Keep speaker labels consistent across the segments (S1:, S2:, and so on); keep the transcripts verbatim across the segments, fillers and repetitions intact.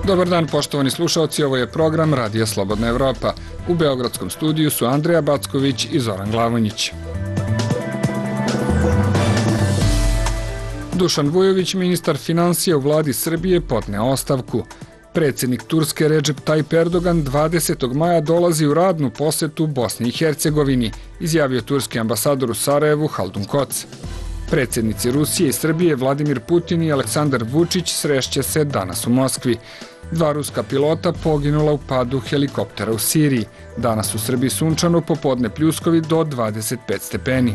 S1: Dobar dan, poštovani slušalci, ovo je program Radija Slobodna Evropa. U beogradskom studiju su Andreja Backović i Zoran Glavonjić. Dušan Vujović, ministar finansija u vladi Srbije, podneo ostavku. Predsjednik Turske Recep Tayyip Erdogan dvadesetog maja dolazi u radnu posetu Bosni i Hercegovini, izjavio turski ambasador u Sarajevu Haldun Koc. Predsjednici Rusije i Srbije Vladimir Putin i Aleksandar Vučić srešće se danas u Moskvi. Dva ruska pilota poginula u padu helikoptera u Siriji. Danas u Srbiji sunčano, popodne pljuskovi do dvadeset pet stepeni.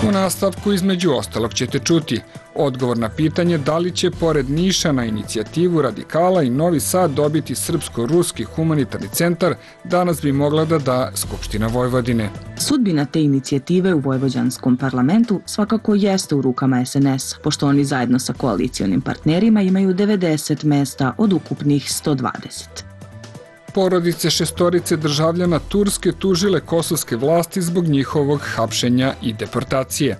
S1: U nastavku između ostalog ćete čuti odgovor na pitanje da li će pored Niša na inicijativu radikala i Novi Sad dobiti Srpsko-ruski humanitarni centar, danas bi mogla da da Skupština Vojvodine.
S2: Sudbina te inicijative u vojvođanskom parlamentu svakako jeste u rukama es en es, pošto oni zajedno sa koalicionim partnerima imaju devedeset mesta od ukupnih sto dvadeset.
S1: Porodice šestorice državljana Turske tužile kosovske vlasti zbog njihovog hapšenja i deportacije.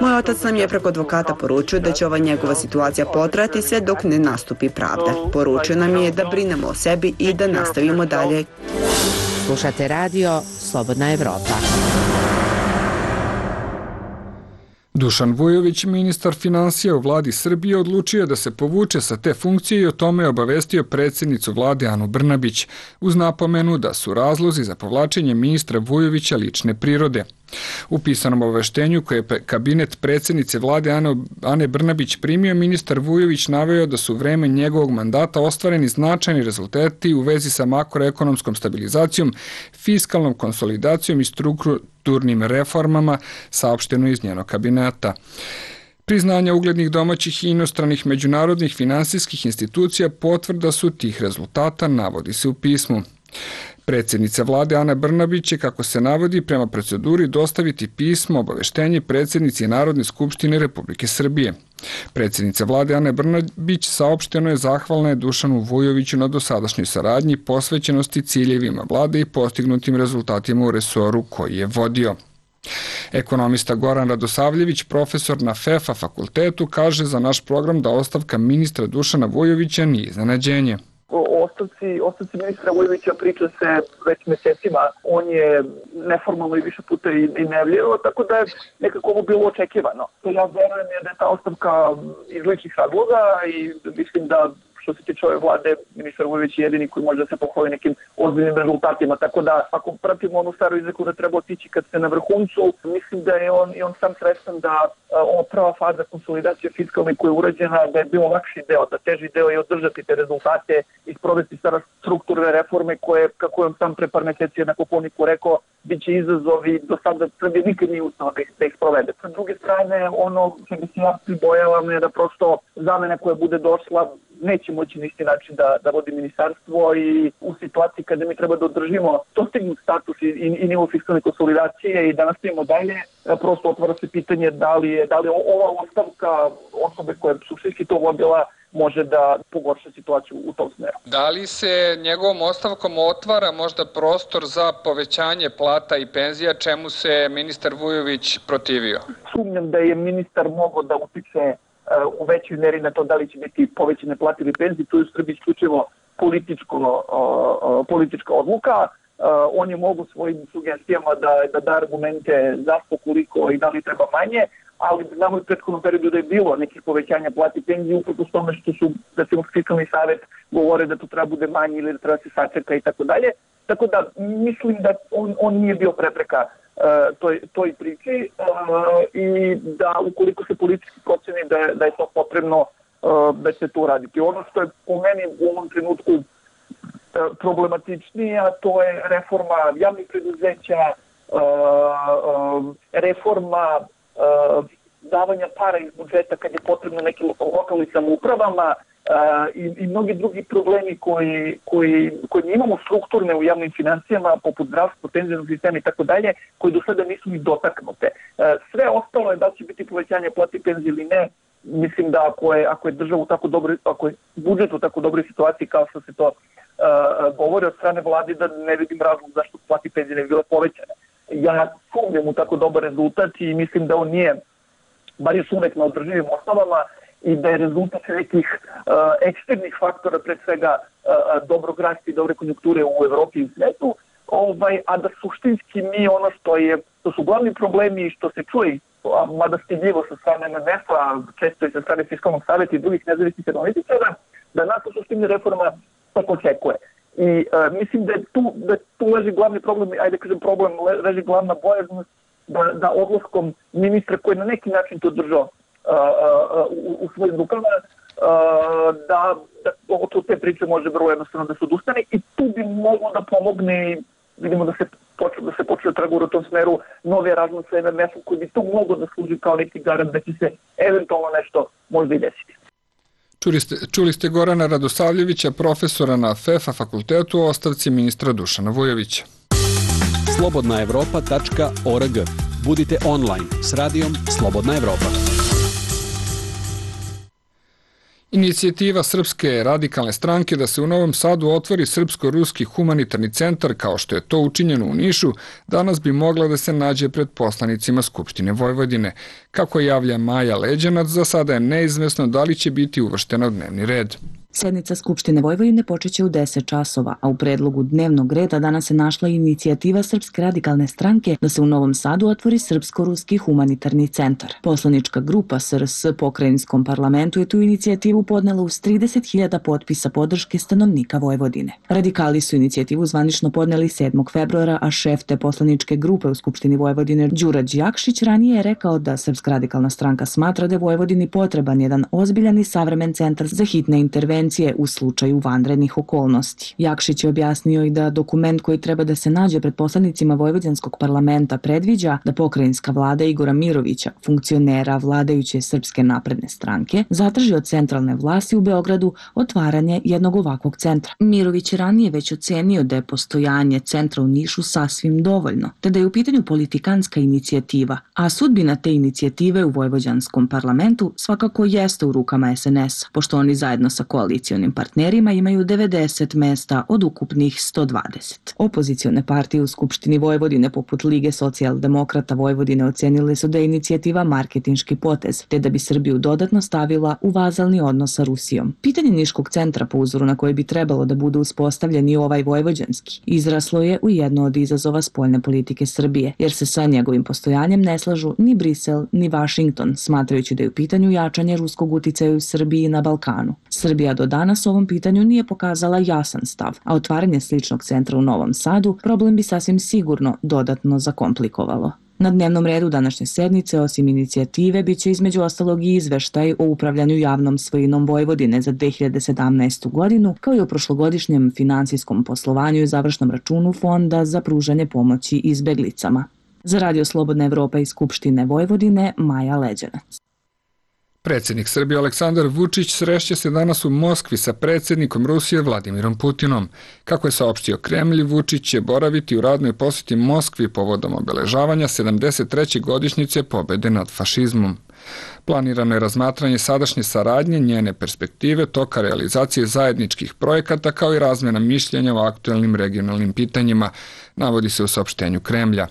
S3: Moj otac nam je preko advokata poručio da će ova njegova situacija potrajati sve dok ne nastupi pravda. Poručio nam je da brinemo o sebi i da nastavimo dalje.
S4: Slušate radio Slobodna Evropa.
S1: Dušan Vujović, ministar finansija u vladi Srbije, odlučio da se povuče sa te funkcije i o tome obavestio predsjednicu vlade Anu Brnabić, uz napomenu da su razlozi za povlačenje ministra Vujovića lične prirode. U pisanom obaveštenju koje je kabinet predsjednice vlade Ane Brnabić primio, ministar Vujović naveo da su vreme njegovog mandata ostvareni značajni rezultati u vezi sa makroekonomskom stabilizacijom, fiskalnom konsolidacijom i strukturnim reformama, saopšteno iz njenog kabineta. Priznanja uglednih domaćih i inostranih međunarodnih finansijskih institucija potvrda su tih rezultata, navodi se u pismu. Predsjednica vlade Ana Brnabić će, kako se navodi, prema proceduri dostaviti pismo obaveštenje predsjednici Narodne skupštine Republike Srbije. Predsjednica vlade Ana Brnabić saopšteno je zahvalna je Dušanu Vujoviću na dosadašnjoj saradnji, posvećenosti ciljevima vlade i postignutim rezultatima u resoru koji je vodio. Ekonomista Goran Radosavljević, profesor na F E F A fakultetu, kaže za naš program da ostavka ministra Dušana Vujovića nije iznenađenje.
S5: Ostavci, ostavci ministra Vujovića priča se već mesecima. On je neformalno i više puta i, i najavljivao, tako da je nekako ovo bilo očekivano. Ja verujem je da je ta ostavka iz ličnih razloga i mislim da što se tiče ove vlade, ministar Vujović je jedini koji može da se pohvali nekim ozbiljnim rezultatima. Tako da, ako pratimo onu staru izreku da treba otići kad ste na vrhuncu, mislim da je on i on sam svestan da ova prva faza konsolidacije fiskalne koja je urađena, da je bilo lakši deo, da teži deo je održati te rezultate i sprovesti sada strukturne reforme koje, kako je on sam pre par meseci na Kopovniku rekao, bit će izazovi, do sada Srbije nikad nije ustala da ih sprovede. Sa druge strane, ono što bi se ja pribojavam je da prosto zamena koja bude došla neće moći na isti način da, da vodi ministarstvo i u situaciji kada mi treba da održimo dostignut status i, i, i nivo fiskalne konsolidacije i da nastavimo dalje, prosto otvara se pitanje da li je, da li ova ostavka osobe koja je suštinski to vodila može da pogorša situaciju u tom smeru.
S1: Da li se njegovom ostavkom otvara možda prostor za povećanje plata i penzija, čemu se ministar Vujović protivio?
S5: Sumnjam da je ministar mogao da utiče u većoj meri na to da li će biti povećane plate ili penzije. Tu je u Srbiji isključivo političko, politička odluka. On je mogu svojim sugestijama da, da da argumente zašto, koliko i da li treba manje, ali znamo u prethodnom periodu da je bilo nekih povećanja plati i penzije upravo s tome što su, da se fiskalni savjet govore da to treba bude manje ili da treba se sačeka i tako dalje. Tako da mislim da on, on nije bio prepreka Uh, toj, toj priči uh, i da ukoliko se politički proceni da je, da je to potrebno uh, da će to uraditi. Ono što je po meni u ovom trenutku uh, problematičnije, a to je reforma javnih preduzeća, uh, uh, reforma uh, davanja para iz budžeta kad je potrebno nekim lokalnim samoupravama, Uh, i, i mnogi drugi problemi koji, koji, koji imamo strukturne u javnim financijama, poput zdravstva, penzijskog sistema i tako dalje, koji do sada nisu ni dotaknute. Uh, sve ostalo je da će biti povećanje plati penzije ili ne. Mislim da ako je, ako je država u tako dobroj, ako je budžet u tako dobroj situaciji kao što se to uh, govori od strane vlade, da ne vidim razlog zašto plati penzije ne bi bile povećane. Ja sumnjam u tako dobar rezultat i mislim da on nije bar još uvek na održivim osnovama i da je rezultat nekih uh, eksternih faktora, pre svega uh, dobrog rasta i dobre konjunkture u Evropi i svetu, ovaj, a da suštinski mi ono što je, to su glavni problemi i što se čuje, mada stidljivo sa strane M M F-a, često i sa strane Fiskalnog savjeta i drugih nezavisnih analitičara, da nas u suštini reforma tako očekuje. I uh, mislim da je tu, da tu leži glavni problem, ajde kažem problem, leži glavna bojaznost da, da odlaskom ministra koji na neki način to držao uh, uh, u, u svojim rukama, uh, da, da od te priče može vrlo jednostavno da se odustane i tu bi moglo da pomogne, vidimo da se počeo da se počeo tragur u tom smeru nove razlog sa M M F-om koji bi tu moglo da služi kao neki garant da će se eventualno nešto možda i desiti.
S1: Čuli ste, čuli ste Gorana Radosavljevića, profesora na F E F A fakultetu o ostavci ministra Dušana Vujovića.
S6: slobodna evropa tačka org. Budite online s radijom Slobodna Evropa.
S1: Inicijativa Srpske radikalne stranke da se u Novom Sadu otvori Srpsko-ruski humanitarni centar, kao što je to učinjeno u Nišu, danas bi mogla da se nađe pred poslanicima Skupštine Vojvodine. Kako javlja Maja Leđanac, za sada je neizvesno da li će biti uvrštena u dnevni red.
S2: Sednica Skupštine Vojvodine počeće u deset časova, a u predlogu dnevnog reda danas se našla inicijativa Srpske radikalne stranke da se u Novom Sadu otvori Srpsko-ruski humanitarni centar. Poslanička grupa S R S pokrajinskom parlamentu je tu inicijativu podnela uz trideset hiljada potpisa podrške stanovnika Vojvodine. Radikali su inicijativu zvanično podneli sedmog februara, a šef te poslaničke grupe u Skupštini Vojvodine Đura Đjakšić ranije je rekao da Srpska radikalna stranka smatra da je Vojvodini potreban jedan ozbiljan i savremen centar za hitne intervencije u slučaju vanrednih okolnosti. Jakšić je objasnio i da dokument koji treba da se nađe pred poslanicima Vojvođanskog parlamenta predviđa da pokrajinska vlada Igora Mirovića, funkcionera vladajuće Srpske napredne stranke, zatraži od centralne vlasti u Beogradu otvaranje jednog ovakvog centra. Mirović je ranije već ocenio da je postojanje centra u Nišu sasvim dovoljno, te da je u pitanju politikanska inicijativa, a sudbina te inicijative u Vojvođanskom parlamentu svakako jeste u rukama S N S-a, pošto oni zajedno sa koalicijom Opozicijonim partnerima imaju devedeset mesta od ukupnih sto dvadeset. Opozicione partije u Skupštini Vojvodine poput Lige socijaldemokrata Vojvodine ocenile su da je inicijativa marketinški potez, te da bi Srbiju dodatno stavila u vazalni odnos sa Rusijom. Pitanje Niškog centra, po uzoru na koji bi trebalo da bude uspostavljen i ovaj vojvođanski, izraslo je u jedno od izazova spoljne politike Srbije, jer se sa njegovim postojanjem ne slažu ni Brisel ni Vašington, smatrajući da je u pitanju jačanje ruskog uticaja u Srbiji i na Balkanu. Srbija do danas ovom pitanju nije pokazala jasan stav, a otvaranje sličnog centra u Novom Sadu problem bi sasvim sigurno dodatno zakomplikovalo. Na dnevnom redu današnje sednice, osim inicijative, biće između ostalog i izveštaj o upravljanju javnom svojinom Vojvodine za dve hiljade sedamnaestu godinu, kao i o prošlogodišnjem finansijskom poslovanju i završnom računu Fonda za pružanje pomoći izbeglicama. Za Radio Slobodna Evropa iz Skupštine Vojvodine, Maja Leđanac.
S1: Predsjednik Srbije Aleksandar Vučić srešće se danas u Moskvi sa predsjednikom Rusije Vladimirom Putinom. Kako je saopštio Kremlj, Vučić će boraviti u radnoj posjeti Moskvi povodom obeležavanja sedamdeset treće godišnjice pobjede nad fašizmom. Planirano je razmatranje sadašnje saradnje, njene perspektive, toka realizacije zajedničkih projekata kao i razmjena mišljenja o aktuelnim regionalnim pitanjima, navodi se u saopštenju Kremlja.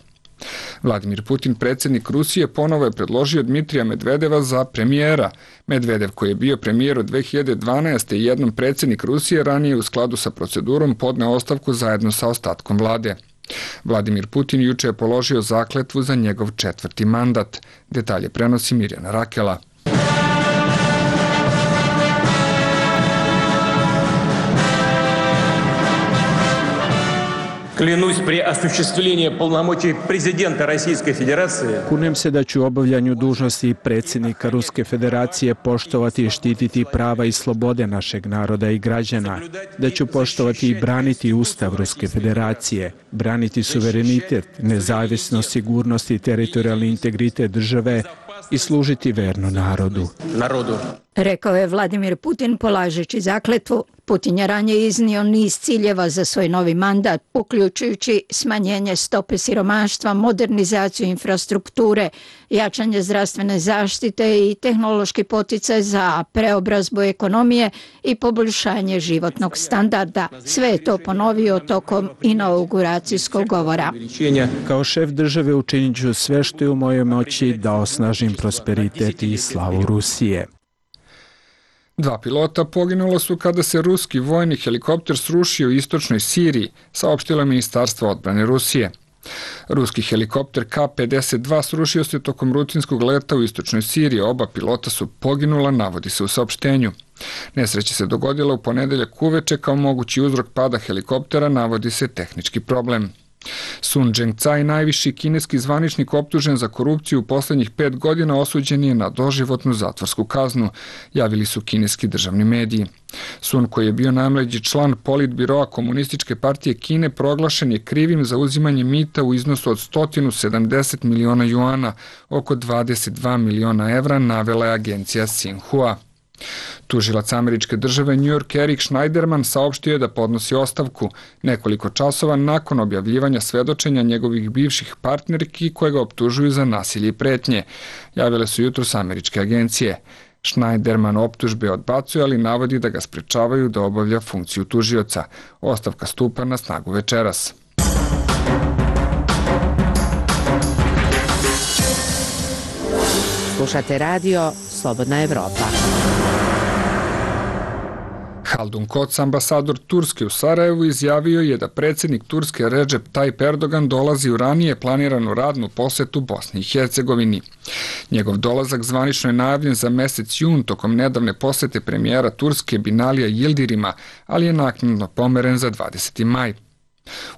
S1: Vladimir Putin, predsjednik Rusije, ponovo je predložio Dmitrija Medvedeva za premijera. Medvedev, koji je bio premijer od dve hiljade dvanaeste. i jednom predsjednik Rusije, ranije u skladu sa procedurom podneo ostavku zajedno sa ostatkom vlade. Vladimir Putin juče je položio zakletvu za njegov četvrti mandat. Detalje prenosi Mirjana Rakela.
S7: Клянусь при осуществлении полномочий президента Российской Федерации.
S8: Kunem se da ću u obavljanju dužnosti predsjednika Ruske Federacije poštovati i štititi prava i slobode našeg naroda i građana, da ću poštovati i braniti Ustav Ruske Federacije, braniti suverenitet, nezavisnost, sigurnost i teritorijalni integritet države i služiti verno narodu.
S7: Narodu.
S9: Rekao je Vladimir Putin polažeći zakletvu Putin je ranije iznio niz ciljeva za svoj novi mandat, uključujući smanjenje stope siromaštva, modernizaciju infrastrukture, jačanje zdravstvene zaštite i tehnološki poticaj za preobrazbu ekonomije i poboljšanje životnog standarda. Sve je to ponovio tokom inauguracijskog govora.
S8: Kao šef države učinit ću sve što je u mojoj moći da osnažim prosperitet i slavu Rusije.
S1: Dva pilota poginula su kada se ruski vojni helikopter srušio u istočnoj Siriji, saopštilo Ministarstvo odbrane Rusije. Ruski helikopter Ka pedeset dva srušio se tokom rutinskog leta u istočnoj Siriji. Oba pilota su poginula, navodi se u saopštenju. Nesreća se dogodila u ponedeljak uveče, kao mogući uzrok pada helikoptera navodi se tehnički problem. Sun Zhengcai, najviši kineski zvaničnik optužen za korupciju u poslednjih pet godina, osuđen je na doživotnu zatvorsku kaznu, javili su kineski državni mediji. Sun, koji je bio najmlađi član politbiroa Komunističke partije Kine, proglašen je krivim za uzimanje mita u iznosu od sto sedamdeset miliona juana, oko dvadeset dva miliona evra, navela je agencija Xinhua. Tužilac američke države New York Eric Schneiderman saopštio je da podnosi ostavku nekoliko časova nakon objavljivanja svedočenja njegovih bivših partnerki koje ga optužuju za nasilje i pretnje, javile su jutros američke agencije. Schneiderman optužbe odbacuje, ali navodi da ga sprečavaju da obavlja funkciju tužioca. Ostavka stupa na snagu večeras.
S4: Slušate radio Slobodna Evropa.
S1: Haldun Koc, ambasador Turske u Sarajevu, izjavio je da predsjednik Turske Recep Tayyip Erdogan dolazi u ranije planiranu radnu posetu Bosni i Hercegovini. Njegov dolazak zvanično je najavljen za mesec jun tokom nedavne posete premijera Turske Binalija Yildirima, ali je naknadno pomeren za dvadeseti maj.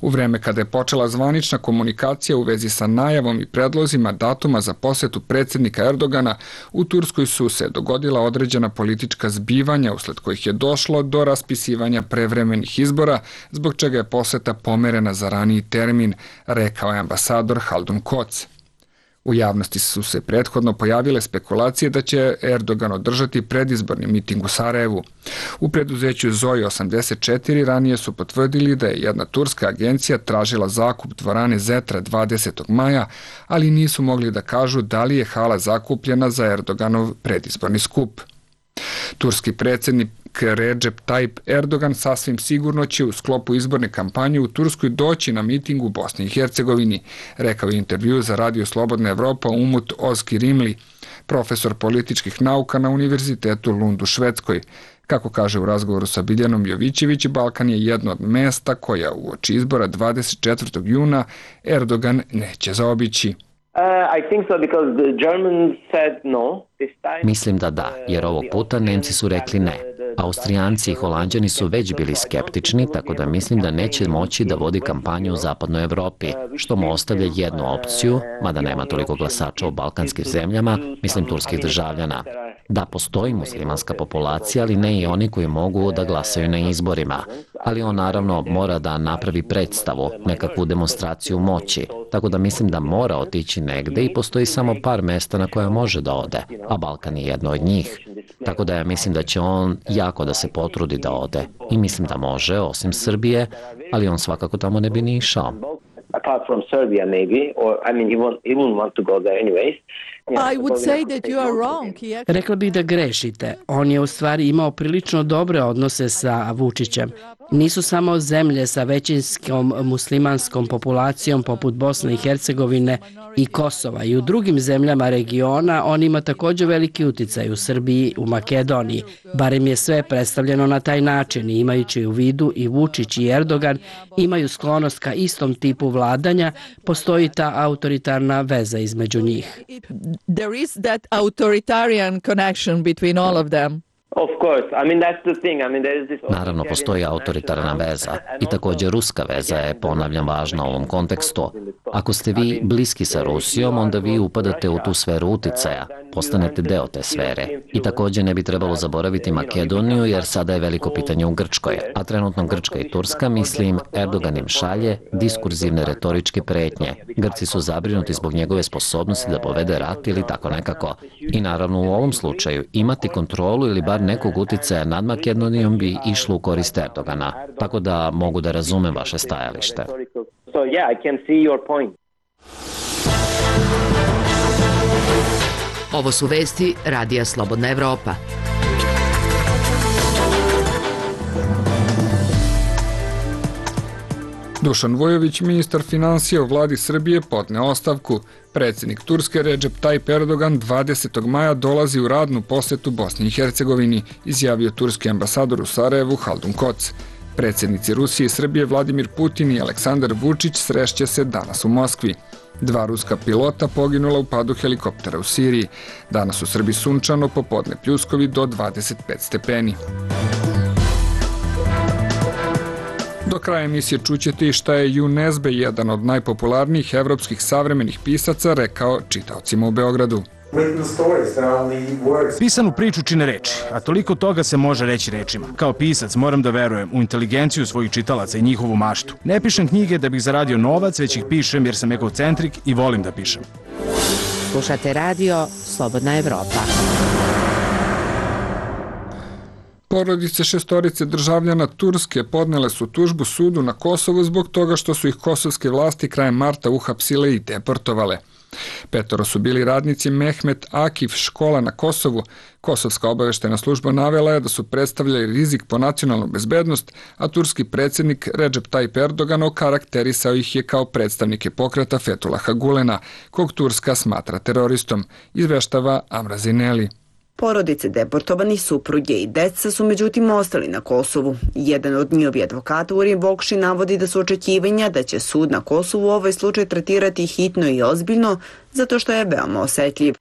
S1: U vreme kada je počela zvanična komunikacija u vezi sa najavom i predlozima datuma za posetu predsjednika Erdogana, u Turskoj su se dogodila određena politička zbivanja usled kojih je došlo do raspisivanja prevremenih izbora, zbog čega je poseta pomerena za raniji termin, rekao je ambasador Haldun Koc. U javnosti su se prethodno pojavile spekulacije da će Erdogan održati predizborni miting u Sarajevu. U preduzeću Zoji osamdeset četiri ranije su potvrdili da je jedna turska agencija tražila zakup dvorane Zetra dvadesetog maja, ali nisu mogli da kažu da li je hala zakupljena za Erdoganov predizborni skup. Turski predsjednik Recep Tayyip Erdogan sasvim sigurno će u sklopu izborne kampanje u Turskoj doći na miting u Bosni i Hercegovini, rekao je intervju za Radio Slobodna Evropa Umut Ozkirimli, profesor političkih nauka na Univerzitetu Lund u Švedskoj. Kako kaže u razgovoru sa Biljanom Jovićević, Balkan je jedno od mesta koja uoči izbora dvadeset četvrtog juna Erdogan neće zaobići.
S10: Mislim da da, jer ovog puta Nemci su rekli ne. Austrijanci i Holanđani su već bili skeptični, tako da mislim da neće moći da vodi kampanju u zapadnoj Evropi, što mu ostavlja jednu opciju, mada nema toliko glasača u balkanskim zemljama, mislim turskih državljana. Da, postoji muslimanska populacija, ali ne i oni koji mogu da glasaju na izborima. Ali on naravno mora da napravi predstavu, nekakvu demonstraciju moći, tako da mislim da mora otići negde i postoji samo par mesta na koja može da ode, a Balkan je jedno od njih. Tako da ja mislim da će on jako da se potrudi da ode. I mislim da može, osim Srbije, ali on svakako tamo ne bi ni išao.
S11: Apart from Serbia maybe, or I mean he won't, he won't want to go there anyways.
S12: I would say that you are wrong. Rekla bih da grešite. On je u stvari imao prilično dobre odnose sa Vučićem. Nisu samo zemlje sa većinskom muslimanskom populacijom poput Bosne i Hercegovine i Kosova. I u drugim zemljama regiona on ima također veliki uticaj u Srbiji, u Makedoniji. Barem je sve predstavljeno na taj način i imajući u vidu i Vučić i Erdogan imaju sklonost ka istom tipu vladanja, postoji ta autoritarna veza između njih.
S13: There is that authoritarian connection between all of them.
S11: Of course. I mean that's the thing. I mean there is this
S10: Naravno, postoji autoritarna veza i također ruska veza je, ponavljam, važna u ovom kontekstu. Ako ste vi bliski sa Rusijom, onda vi upadate u tu sferu uticaja, postanete deo te sfere. I također ne bi trebalo zaboraviti Makedoniju, jer sada je veliko pitanje u Grčkoj, a trenutno Grčka i Turska, mislim, Erdogan im šalje diskurzivne retoričke pretnje. Grci su zabrinuti zbog njegove sposobnosti da povede rat ili tako nekako. I naravno u ovom slučaju imati kontrolu ili bar nekog uticaja nad Makedonijom bi išlo u korist Erdogana, tako da mogu da razumem vaše stajalište.
S11: So yeah, I can see your point.
S4: Ovo su vesti Radija Slobodna Evropa.
S1: Dušan Vujović, ministar finansija u vladi Srbije, podneo ostavku. Predsjednik Turske Recep Tayyip Erdogan dvadesetog maja dolazi u radnu posetu Bosni i Hercegovini, izjavio turski ambasador u Sarajevu Haldun Koc. Predsjednici Rusije i Srbije Vladimir Putin i Aleksandar Vučić srešće se danas u Moskvi. Dva ruska pilota poginula u padu helikoptera u Siriji. Danas u Srbiji sunčano, popodne pljuskovi do dvadeset pet stepeni. Do kraja emisije čućete i šta je Ju Nezbe, jedan od najpopularnijih evropskih savremenih pisaca, rekao čitaocima u Beogradu.
S14: Pisanu priču čine reči, a toliko toga se može reći rečima. Kao pisac moram da verujem u inteligenciju svojih čitalaca i njihovu maštu. Ne pišem knjige da bih zaradio novac, već ih pišem jer sam egocentrik i volim da pišem.
S4: Slušate radio Slobodna Evropa.
S1: Porodice šestorice državljana Turske podnele su tužbu sudu na Kosovu zbog toga što su ih kosovske vlasti krajem marta uhapsile i deportovale. Petoro su bili radnici Mehmet Akif škola na Kosovu. Kosovska obaveštena služba navela je da su predstavljali rizik po nacionalnu bezbednost, a turski predsjednik Recep Tayyip Erdogan okarakterisao ih je kao predstavnike pokreta Fethullaha Gulena, kog Turska smatra teroristom, izveštava Amra Zineli.
S3: Porodice deportovanih supruge i deca su međutim ostali na Kosovu. Jedan od njihovi advokata Urim Vokši navodi da su očekivanja da će sud na Kosovu ovaj slučaj tretirati hitno i ozbiljno zato što je veoma osetljiv.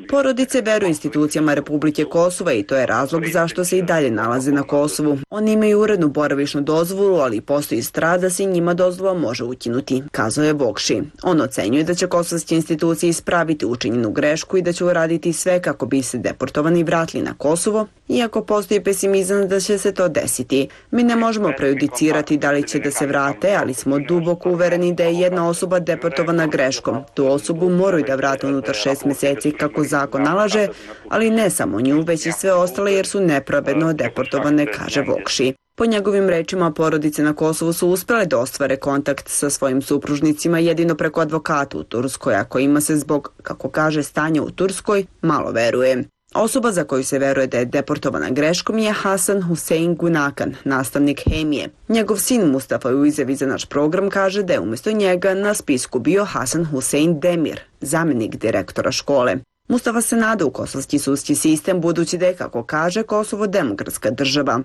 S3: Porodice veruju institucijama Republike Kosova i to je razlog zašto se i dalje nalaze na Kosovu. Oni imaju urednu boravišnu dozvolu, ali postoji strah da se njima dozvola može ukinuti, kazao je Vokši. On ocenjuje da će kosovske institucije ispraviti učinjenu grešku i da će uraditi sve kako bi se deportovani vratili na Kosovo, iako postoji pesimizam da će se to desiti. Mi ne možemo prejudicirati da li će da se vrate, ali smo duboko uvereni da je jedna osoba deportovana greškom. Tu osobu moraju da vrate unutar šest mjeseci kako zakon nalaže, ali ne samo nju, već i sve ostale jer su nepravedno deportovane, kaže Vokši. Po njegovim rečima, porodice na Kosovu su uspjele da ostvare kontakt sa svojim supružnicima jedino preko advokata u Turskoj, a kojima se zbog, kako kaže, stanja u Turskoj malo veruje. Osoba za koju se veruje da je deportovana greškom je Hasan Hussein Gunakan, nastavnik hemije. Njegov sin Mustafa u izjavi za naš program kaže da je umjesto njega na spisku bio Hasan Hussein Demir, zamjenik direktora škole. Mustafa se nada u kosovski sudski sistem budući da je, kako kaže, Kosovo demokratska država.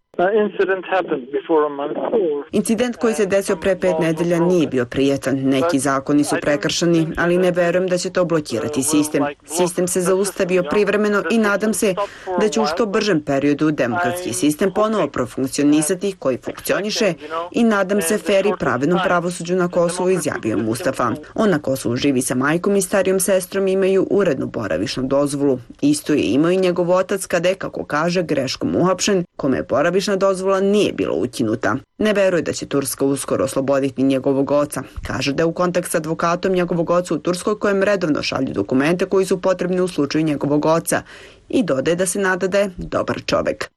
S3: Incident koji se desio pre pet nedelja nije bio prijetan. Neki zakoni su prekršeni, ali ne verujem da će to blokirati sistem. Sistem se zaustavio privremeno i nadam se da će u što bržem periodu demokratski sistem ponovo profunkcionisati koji funkcioniše i nadam se fer i pravednom pravosuđu na Kosovu, izjavio Mustafa. On na Kosovu živi sa majkom i starijom sestrom, imaju urednu boravišnu dozvolu. Isto je imao i njegov otac kada je, kako kaže, greškom uhapšen, kome je boravišna dozvola nije bila ukinuta. Ne veruje da će Turska uskoro osloboditi njegovog oca. Kaže da je u kontakt s advokatom njegovog oca u Turskoj kojem redovno šalju dokumente koji su potrebni u slučaju njegovog oca i dodaje da se nada da je dobar čovek.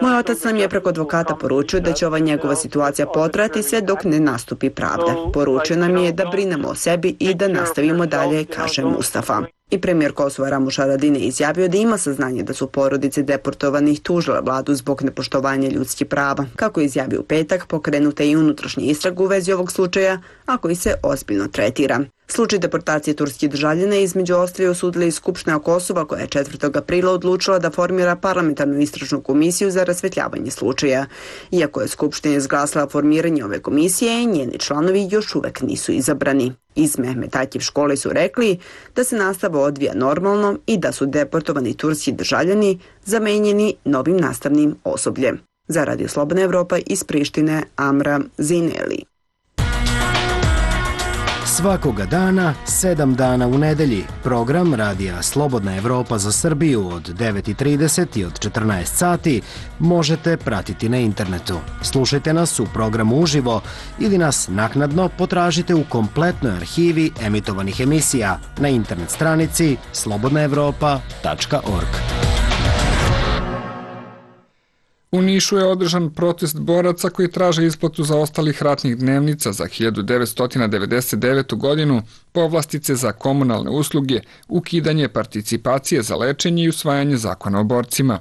S3: Moj otac nam je preko advokata poručio da će ova njegova situacija potrajati sve dok ne nastupi pravda. Poručio nam je da brinemo o sebi i da nastavimo dalje, kaže Mustafa. I premijer Kosova Ramuš Haradinaj izjavio da ima saznanje da su porodice deportovanih tužile vladu zbog nepoštovanja ljudskih prava. Kako je izjavio u petak, pokrenuta je i unutrašnja istraga u vezi ovog slučaja, a koji se ozbiljno tretira. Slučaj deportacije turskih državljana između ostalih osudila i Skupština Kosova koja je četvrtog aprila odlučila da formira parlamentarnu istražnu komisiju za rasvetljavanje slučaja. Iako je Skupština izglasala formiranje ove komisije, njeni članovi još uvek nisu izabrani. Iz Mehmet Akif škole su rekli da se nastava odvija normalno i da su deportovani turski državljani zamenjeni novim nastavnim osobljem. Za Radio Slobodna Evropa iz Prištine, Amra Zineli.
S15: Svakoga dana, sedam dana u nedelji, program Radija Slobodna Evropa za Srbiju od devet i trideset i od četrnaest sati možete pratiti na internetu. Slušajte nas u programu uživo ili nas naknadno potražite u kompletnoj arhivi emitovanih emisija na internet stranici slobodna evropa tačka org.
S1: U Nišu je održan protest boraca koji traže isplatu zaostalih ratnih dnevnica za hiljadu devetsto devedeset devetu. godinu, povlastice za komunalne usluge, ukidanje participacije za lečenje i usvajanje zakona o borcima.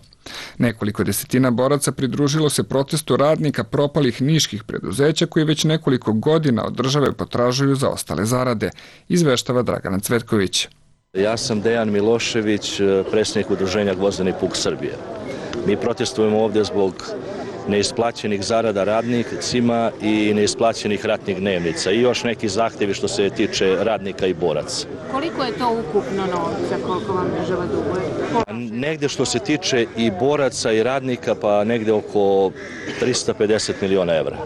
S1: Nekoliko desetina boraca pridružilo se protestu radnika propalih niških preduzeća koji već nekoliko godina od države potražuju zaostale zarade, izveštava Dragana Cvetković.
S16: Ja sam Dejan Milošević, predsjednik udruženja Gvozdeni puk Srbije. Mi protestujemo ovdje zbog neisplaćenih zarada radnicima i neisplaćenih ratnih dnevnica i još neki zahtjevi što se tiče radnika i boraca.
S17: Koliko je to ukupno novca, koliko vam država duguje?
S16: Negdje što se tiče i boraca i radnika, pa negdje oko trista pedeset miliona evra.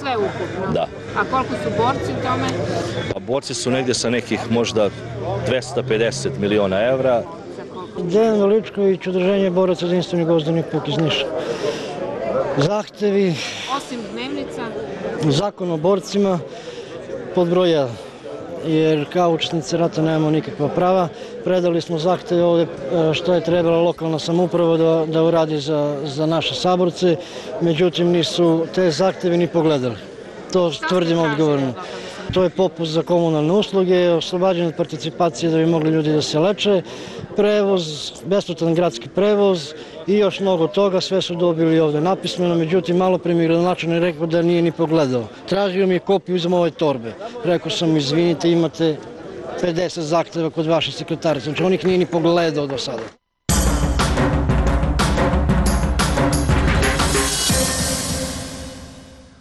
S17: Sve ukupno?
S16: Da.
S17: A koliko su borci u tome?
S16: Pa borci su negdje sa nekih možda dvesta pedeset miliona evra.
S18: Dejan Veličković, udruženje boraca za jedinstveni Gvozdeni puk iz Niša. Zahtevi...
S17: Osim dnevnica?
S18: Zakon o borcima pod broj jedan. Jer kao učesnici rata nemamo nikakva prava. Predali smo zahteve ovdje što je trebala lokalna samouprava da, da uradi za, za naše saborce. Međutim, nisu te zahteve ni pogledali. To tvrdimo odgovorno. To je popust za komunalne usluge, oslobađanje od participacije da bi mogli ljudi da se leče, prevoz, besplatan gradski prevoz i još mnogo toga, sve su dobili ovdje napismeno, međutim malo pre mi gradonačelnik rekao da nije ni pogledao. Tražio mi je kopiju iz moje torbe. Rekao sam, izvinite, imate pedeset zahteva kod vaše sekretarice, znači on ih nije ni pogledao do sada.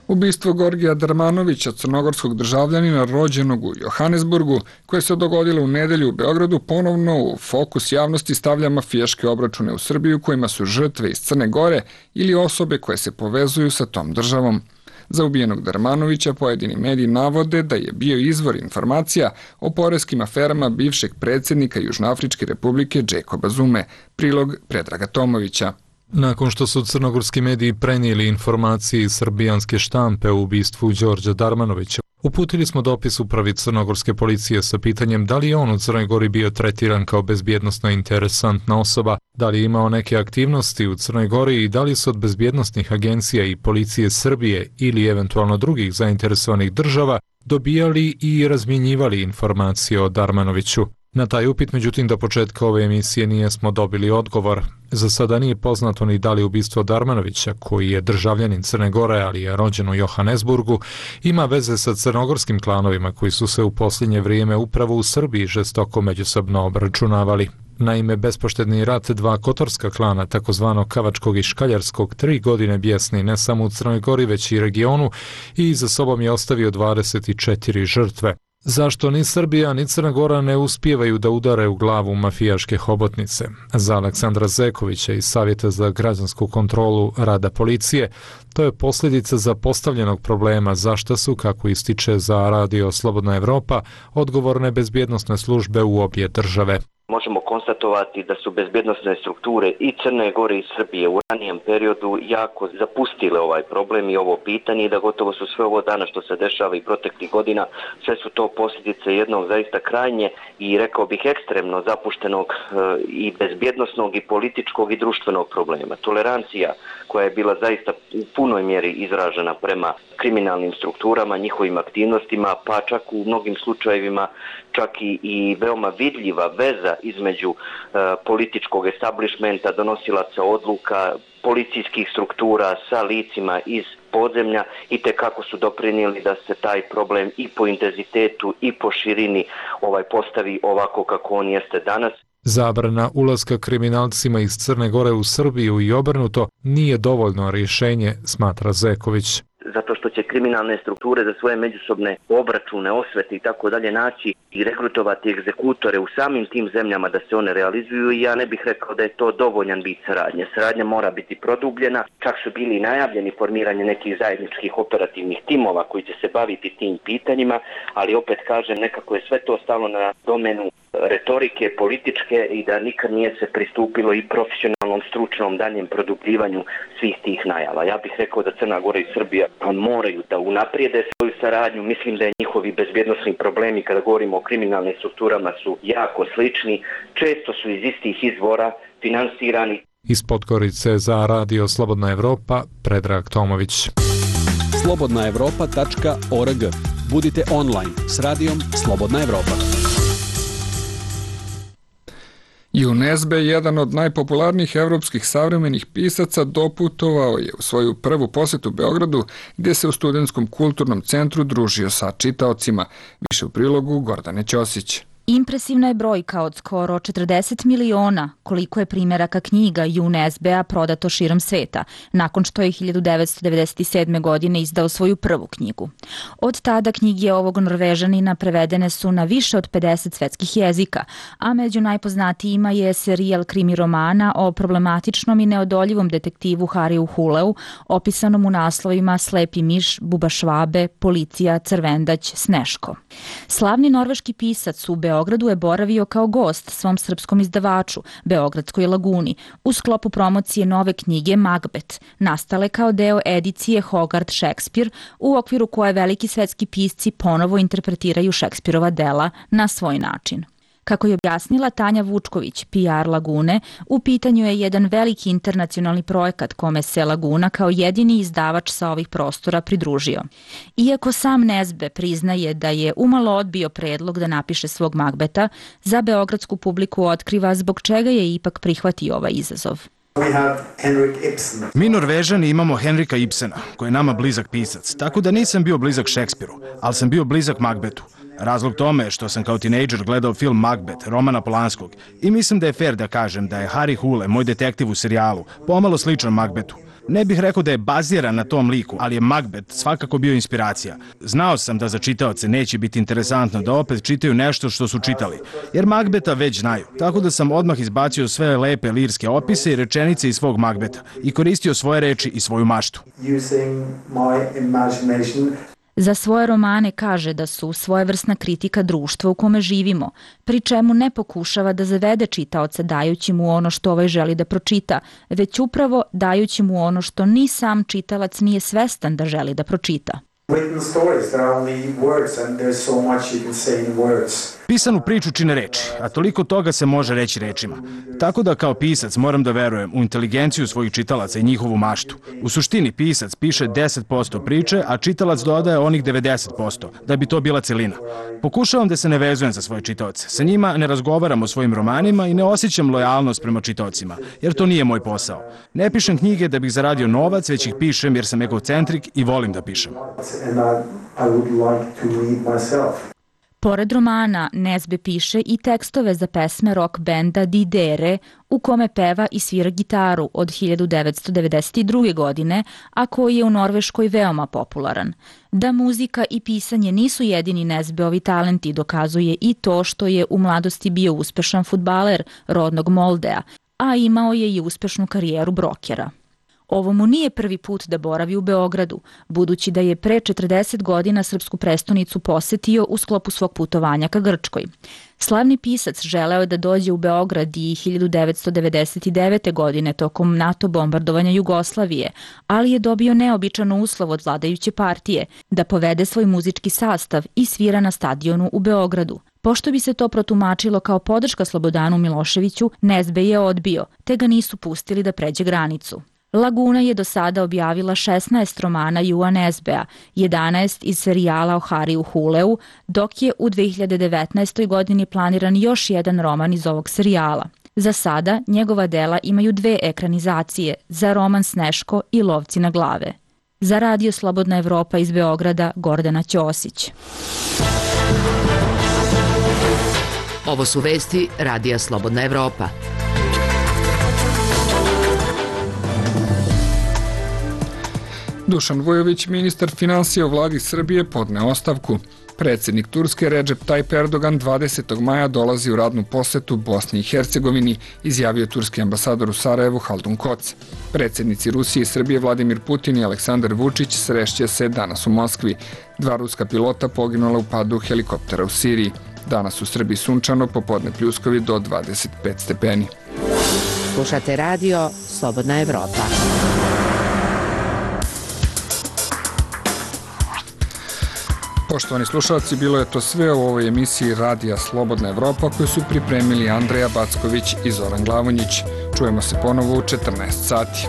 S1: Ubistvo Gorgija Darmanovića, crnogorskog državljanina rođenog u Johannesburgu, koje se dogodilo u nedelju u Beogradu, ponovno u fokus javnosti stavlja mafijaške obračune u Srbiju kojima su žrtve iz Crne Gore ili osobe koje se povezuju sa tom državom. Za ubijenog Darmanovića pojedini mediji navode da je bio izvor informacija o poreskim aferama bivšeg predsjednika Južnoafričke republike Jacoba Zume. Prilog Predraga Tomovića.
S19: Nakon što su crnogorski mediji prenijeli informacije iz srbijanske štampe o ubistvu Đorđa Darmanovića, uputili smo dopis upravi crnogorske policije sa pitanjem da li je on u Crnoj Gori bio tretiran kao bezbjednosno interesantna osoba, da li je imao neke aktivnosti u Crnoj Gori i da li su od bezbjednosnih agencija i policije Srbije ili eventualno drugih zainteresovanih država dobijali i razmjenjivali informacije o Darmanoviću. Na taj upit, međutim, do početka ove emisije nijesmo dobili odgovor. Za sada nije poznato ni da li ubistvo Darmanovića, koji je državljanin Crne Gore, ali je rođen u Johannesburgu, ima veze sa crnogorskim klanovima koji su se u posljednje vrijeme upravo u Srbiji žestoko međusobno obračunavali. Naime, bespoštedni rat dva kotorska klana, takozvano Kavačkog i Škaljarskog, tri godine bijesni ne samo u Crnoj Gori, već i regionu i za sobom je ostavio dvadeset četiri žrtve. Zašto ni Srbija ni Crna Gora ne uspijevaju da udare u glavu mafijaške hobotnice? Za Aleksandra Zekovića iz Savjeta za građansku kontrolu rada policije, to je posljedica zapostavljenog problema zašto su, kako ističe za Radio Slobodna Evropa, odgovorne bezbjednosne službe u obje države.
S20: Možemo konstatovati da su bezbjednosne strukture i Crne Gore i Srbije u ranijem periodu jako zapustile ovaj problem i ovo pitanje i da gotovo su sve ovo dana što se dešava i proteklih godina, sve su to posljedice jednog zaista krajnje i rekao bih ekstremno zapuštenog i bezbjednosnog i političkog i društvenog problema. Tolerancija koja je bila zaista u punoj mjeri izražena prema kriminalnim strukturama, njihovim aktivnostima, pa čak u mnogim slučajevima čak i, i veoma vidljiva veza između uh, političkog establishmenta, donosilaca odluka, policijskih struktura sa licima iz podzemlja i te kako su doprinijeli da se taj problem i po intenzitetu i po širini ovaj postavi ovako kako on jeste danas.
S19: Zabrana ulaska kriminalcima iz Crne Gore u Srbiju i obrnuto nije dovoljno rješenje, smatra Zeković.
S20: zato što će kriminalne strukture za svoje međusobne obračune, osvete i tako dalje naći i rekrutovati egzekutore u samim tim zemljama da se one realizuju i ja ne bih rekao da je to dovoljan vid saradnje. Saradnja mora biti produbljena, čak su bili najavljeni formiranje nekih zajedničkih operativnih timova koji će se baviti tim pitanjima, ali opet kažem, nekako je sve to stalo na domenu retorike, političke i da nikad nije se pristupilo i profesionalnom, stručnom daljem produbljivanju svih tih najava. Ja bih rekao da Crna Gora i Srbija moraju da unaprijede svoju saradnju. Mislim da je njihovi bezbjednosni problemi kada govorimo o kriminalnim strukturama su jako slični, često su iz istih izvora finansirani.
S19: Iz Podgorice za Radio Slobodna Evropa, Predrag Tomović.
S6: slobodna evropa tačka org. Budite online s radijom Slobodna Evropa.
S1: Junesbe, jedan od najpopularnijih evropskih savremenih pisaca, doputovao je u svoju prvu posetu Beogradu, gdje se u Studentskom kulturnom centru družio sa čitaocima. Više u prilogu Gordane Ćosić.
S21: Impresivna je brojka od skoro četrdeset miliona koliko je primjeraka knjiga Junesbea prodato širom sveta, nakon što je hiljadu devetsto devedeset sedme. godine izdao svoju prvu knjigu. Od tada knjige ovog Norvežanina prevedene su na više od pedeset svetskih jezika, a među najpoznatijima je serijal krimi romana o problematičnom i neodoljivom detektivu Hariju Huleu, opisanom u naslovima Slepi miš, Buba Švabe, Policija, Crvendać, Sneško. Slavni norveški pisac u Beogradu je boravio kao gost svom srpskom izdavaču, Beogradskoj Laguni, u sklopu promocije nove knjige Macbeth, nastale kao deo edicije Hogarth Shakespeare, u okviru koje veliki svetski pisci ponovo interpretiraju Šekspirova dela na svoj način. Kako je objasnila Tanja Vučković, P R Lagune, u pitanju je jedan veliki internacionalni projekat kome se Laguna kao jedini izdavač sa ovih prostora pridružio. Iako sam Nesbe priznaje da je umalo odbio predlog da napiše svog Macbeta, za beogradsku publiku otkriva zbog čega je ipak prihvatio ovaj izazov.
S14: Mi Norvežani imamo Henrika Ibsena, koji je nama blizak pisac, tako da nisam bio blizak Šekspiru, ali sam bio blizak Macbethu. Razlog tome je što sam kao tinejdžer gledao film Macbeth, Romana Polanskog, i mislim da je fair da kažem da je Harry Hole, moj detektiv u serijalu, pomalo sličan Macbethu. Ne bih rekao da je baziran na tom liku, ali je Macbeth svakako bio inspiracija. Znao sam da za čitaoce neće biti interesantno da opet čitaju nešto što su čitali, jer Macbetha već znaju. Tako da sam odmah izbacio sve lepe lirske opise i rečenice iz svog Macbetha i koristio svoje reči i svoju maštu.
S21: Za svoje romane kaže da su svojevrsna kritika društva u kome živimo, pri čemu ne pokušava da zavede čitaoca dajući mu ono što ovaj želi da pročita, već upravo dajući mu ono što ni sam čitalac nije svestan da želi da pročita.
S14: Pisanu priču čine reči, a toliko toga se može reći rečima. Tako da kao pisac moram da verujem u inteligenciju svojih čitalaca i njihovu maštu. U suštini pisac piše deset posto priče, a čitalac dodaje onih devedeset posto, da bi to bila celina. Pokušavam da se ne vezujem za svoje čitaoce. Sa njima ne razgovaram o svojim romanima i ne osjećam lojalnost prema čitaocima, jer to nije moj posao. Ne pišem knjige da bih zaradio novac, već ih pišem jer sam egocentrik i volim da pišem.
S21: Pored romana, Nesbe piše i tekstove za pesme rock benda Didere, u kome peva i svira gitaru od hiljadu devetsto devedeset druge. godine, a koji je u Norveškoj veoma popularan. Da muzika i pisanje nisu jedini Nesbeovi talenti dokazuje i to što je u mladosti bio uspešan fudbaler rodnog Moldea, a imao je i uspešnu karijeru brokera. Ovo mu nije prvi put da boravi u Beogradu, budući da je pre četrdeset godina srpsku prestonicu posetio u sklopu svog putovanja ka Grčkoj. Slavni pisac želeo je da dođe u Beograd i hiljadu devetsto devedeset devete. godine tokom NATO bombardovanja Jugoslavije, ali je dobio neobičan uslov od vladajuće partije da povede svoj muzički sastav i svira na stadionu u Beogradu. Pošto bi se to protumačilo kao podrška Slobodanu Miloševiću, Nesbe je odbio, te ga nisu pustili da pređe granicu. Laguna je do sada objavila šesnaest romana Jua Nesbea, jedanaest iz serijala o Hariju Huleu, dok je u dve hiljade devetnaestoj. godini planiran još jedan roman iz ovog serijala. Za sada njegova dela imaju dve ekranizacije, za roman Sneško i Lovci na glave. Za Radio Slobodna Evropa iz Beograda, Gordana Ćosić.
S4: Ovo su vesti Radija Slobodna Evropa.
S1: Dušan Vujović, ministar financija u vladi Srbije, podneo ostavku. Predsjednik Turske Recep Tayyip Erdogan dvadesetog maja dolazi u radnu posetu Bosni i Hercegovini, izjavio turski ambasador u Sarajevu Haldun Koc. Predsjednici Rusije i Srbije Vladimir Putin i Aleksandar Vučić srešće se danas u Moskvi. Dva ruska pilota poginula u padu helikoptera u Siriji. Danas u Srbiji sunčano, popodne pljuskovi do dvadeset pet stepeni.
S4: Slušate radio Slobodna Evropa.
S1: Poštovani slušalci, bilo je to sve u ovoj emisiji Radija Slobodna Evropa koju su pripremili Andreja Backović i Zoran Glavonjić. Čujemo se ponovo u četrnaest sati.